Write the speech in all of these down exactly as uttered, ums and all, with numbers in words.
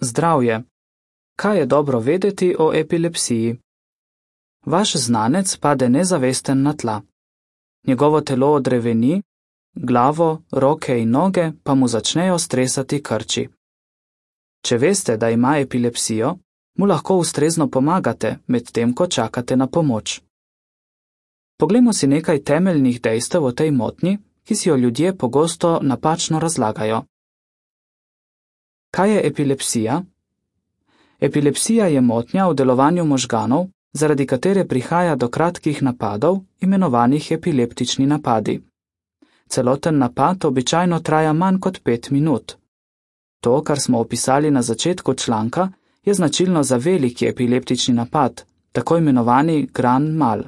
Zdravje. Kaj je dobro vedeti o epilepsiji? Vaš znanec pade nezavesten na tla. Njegovo telo odreveni, glavo, roke in noge pa mu začnejo stresati krči. Če veste, da ima epilepsijo, mu lahko ustrezno pomagate, medtem ko čakate na pomoč. Poglejmo si nekaj temeljnih dejstev o tej motnji, ki si jo ljudje pogosto napačno razlagajo. Kaj je epilepsija? Epilepsija je motnja v delovanju možganov, zaradi katere prihaja do kratkih napadov, imenovanih epileptični napadi. Celoten napad običajno traja manj kot pet minut. To, kar smo opisali na začetku članka, je značilno za veliki epileptični napad, tako imenovani grand mal.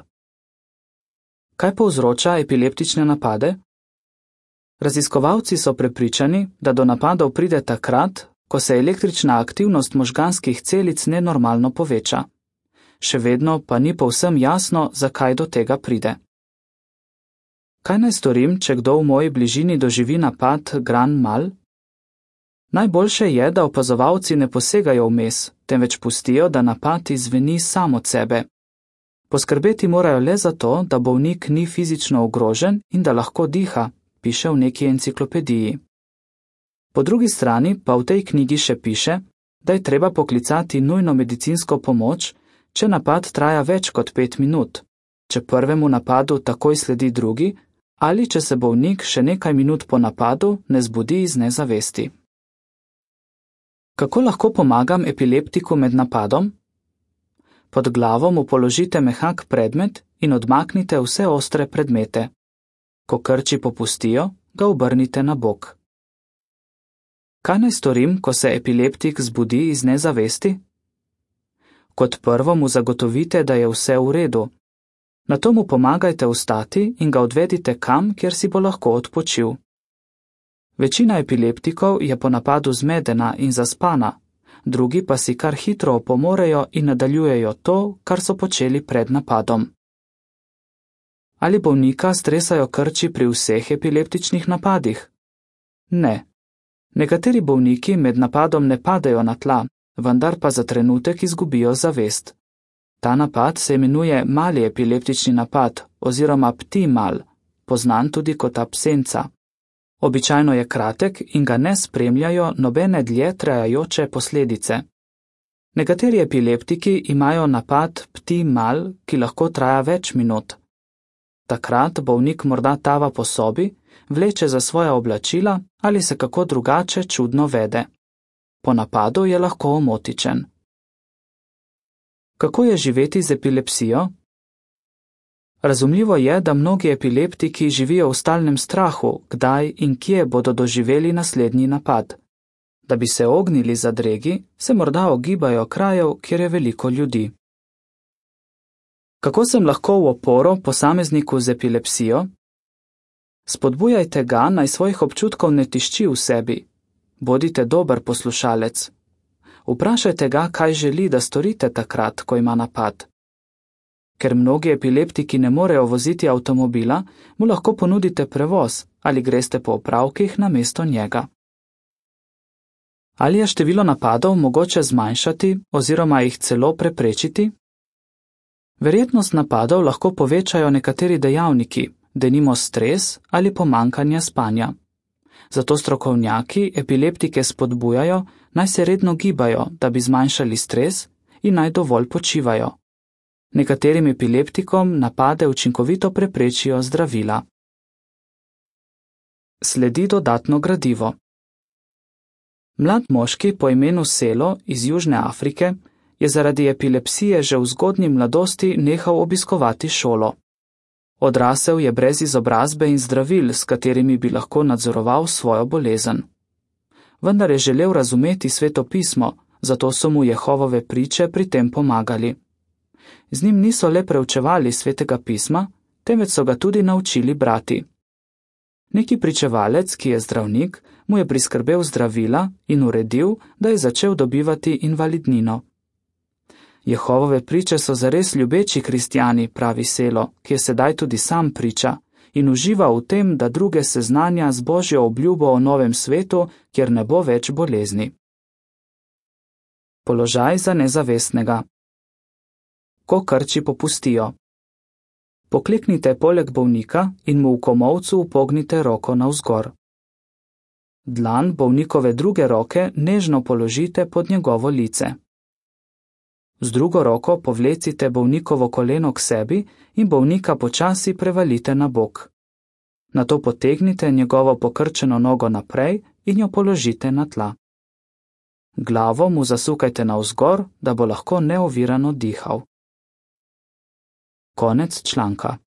Kaj povzroča epileptične napade? Raziskovalci so prepričani, da do napadov pride takrat, ko se električna aktivnost možganskih celic nenormalno poveča. Še vedno pa ni povsem jasno, zakaj do tega pride. Kaj naj storim, če kdo v moji bližini doživi napad grand mal? Najboljše je, da opazovalci ne posegajo vmes, temveč pustijo, da napad izveni sam od sebe. Poskrbeti morajo le za to, da bolnik ni fizično ogrožen in da lahko diha, piše v neki enciklopediji. Po drugi strani pa v tej knjigi še piše, da je treba poklicati nujno medicinsko pomoč, če napad traja več kot pet minut, če prvemu napadu takoj sledi drugi ali če se bolnik še nekaj minut po napadu ne zbudi iz nezavesti. Kako lahko pomagam epileptiku med napadom? Pod glavo mu položite mehak predmet in odmaknite vse ostre predmete. Ko krči popustijo, ga obrnite na bok. Kaj naj storim, ko se epileptik zbudi iz nezavesti? Kot prvo mu zagotovite, da je vse v redu. Nato mu pomagajte vstati in ga odvedite kam, kjer si bo lahko odpočil. Večina epileptikov je po napadu zmedena in zaspana, drugi pa si kar hitro opomorejo in nadaljujejo to, kar so počeli pred napadom. Ali bolnika stresajo krči pri vseh epileptičnih napadih? Ne. Nekateri bolniki med napadom ne padejo na tla, vendar pa za trenutek izgubijo zavest. Ta napad se imenuje mali epileptični napad oziroma ptimal, poznan tudi kot absenca. Običajno je kratek in ga ne spremljajo nobene dlje trajajoče posledice. Nekateri epileptiki imajo napad ptimal, ki lahko traja več minut. Takrat bolnik morda tava po sobi, vleče za svoja oblačila ali se kako drugače čudno vede. Po napadu je lahko omotičen. Kako je živeti z epilepsijo? Razumljivo je, da mnogi epileptiki živijo v stalnem strahu, kdaj in kje bodo doživeli naslednji napad. Da bi se ognili zadregi, se morda ogibajo krajev, kjer je veliko ljudi. Kako sem lahko v oporo posamezniku z epilepsijo? Spodbujajte ga, naj svojih občutkov ne tišči v sebi. Bodite dober poslušalec. Vprašajte ga, kaj želi, da storite takrat, ko ima napad. Ker mnogi epileptiki ne morejo voziti avtomobila, mu lahko ponudite prevoz ali greste po opravkih namesto njega. Ali je število napadov mogoče zmanjšati oziroma jih celo preprečiti? Verjetnost napadov lahko povečajo nekateri dejavniki, denimo stres ali pomanjkanje spanja. Zato strokovnjaki epileptike spodbujajo, naj se redno gibajo, da bi zmanjšali stres in naj dovolj počivajo. Nekaterim epileptikom napade učinkovito preprečijo zdravila. Sledi dodatno gradivo. Mlad moški po imenu Selo iz Južne Afrike je zaradi epilepsije že v zgodnji mladosti nehal obiskovati šolo. Odrasel je brez izobrazbe in zdravil, s katerimi bi lahko nadzoroval svojo bolezen. Vendar je želel razumeti Sveto pismo, zato so mu Jehovove priče pri tem pomagali. Z njim niso le preučevali Svetega pisma, temveč so ga tudi naučili brati. Neki pričevalec, ki je zdravnik, mu je priskrbel zdravila in uredil, da je začel dobivati invalidnino. Jehovove priče so zares ljubeči kristjani, pravi Selo, ki je sedaj tudi sam priča in uživa v tem, da druge seznanja z Božjo obljubo o novem svetu, kjer ne bo več bolezni. Položaj za nezavestnega. Ko krči popustijo. Pokleknite poleg bolnika in mu v komolcu upognite roko navzgor. Dlan bolnikove druge roke nežno položite pod njegovo lice. Z drugo roko povlecite bolnikovo koleno k sebi in bolnika počasi prevalite na bok. Nato potegnite njegovo pokrčeno nogo naprej in jo položite na tla. Glavo mu zasukajte navzgor, da bo lahko neovirano dihal. Konec članka.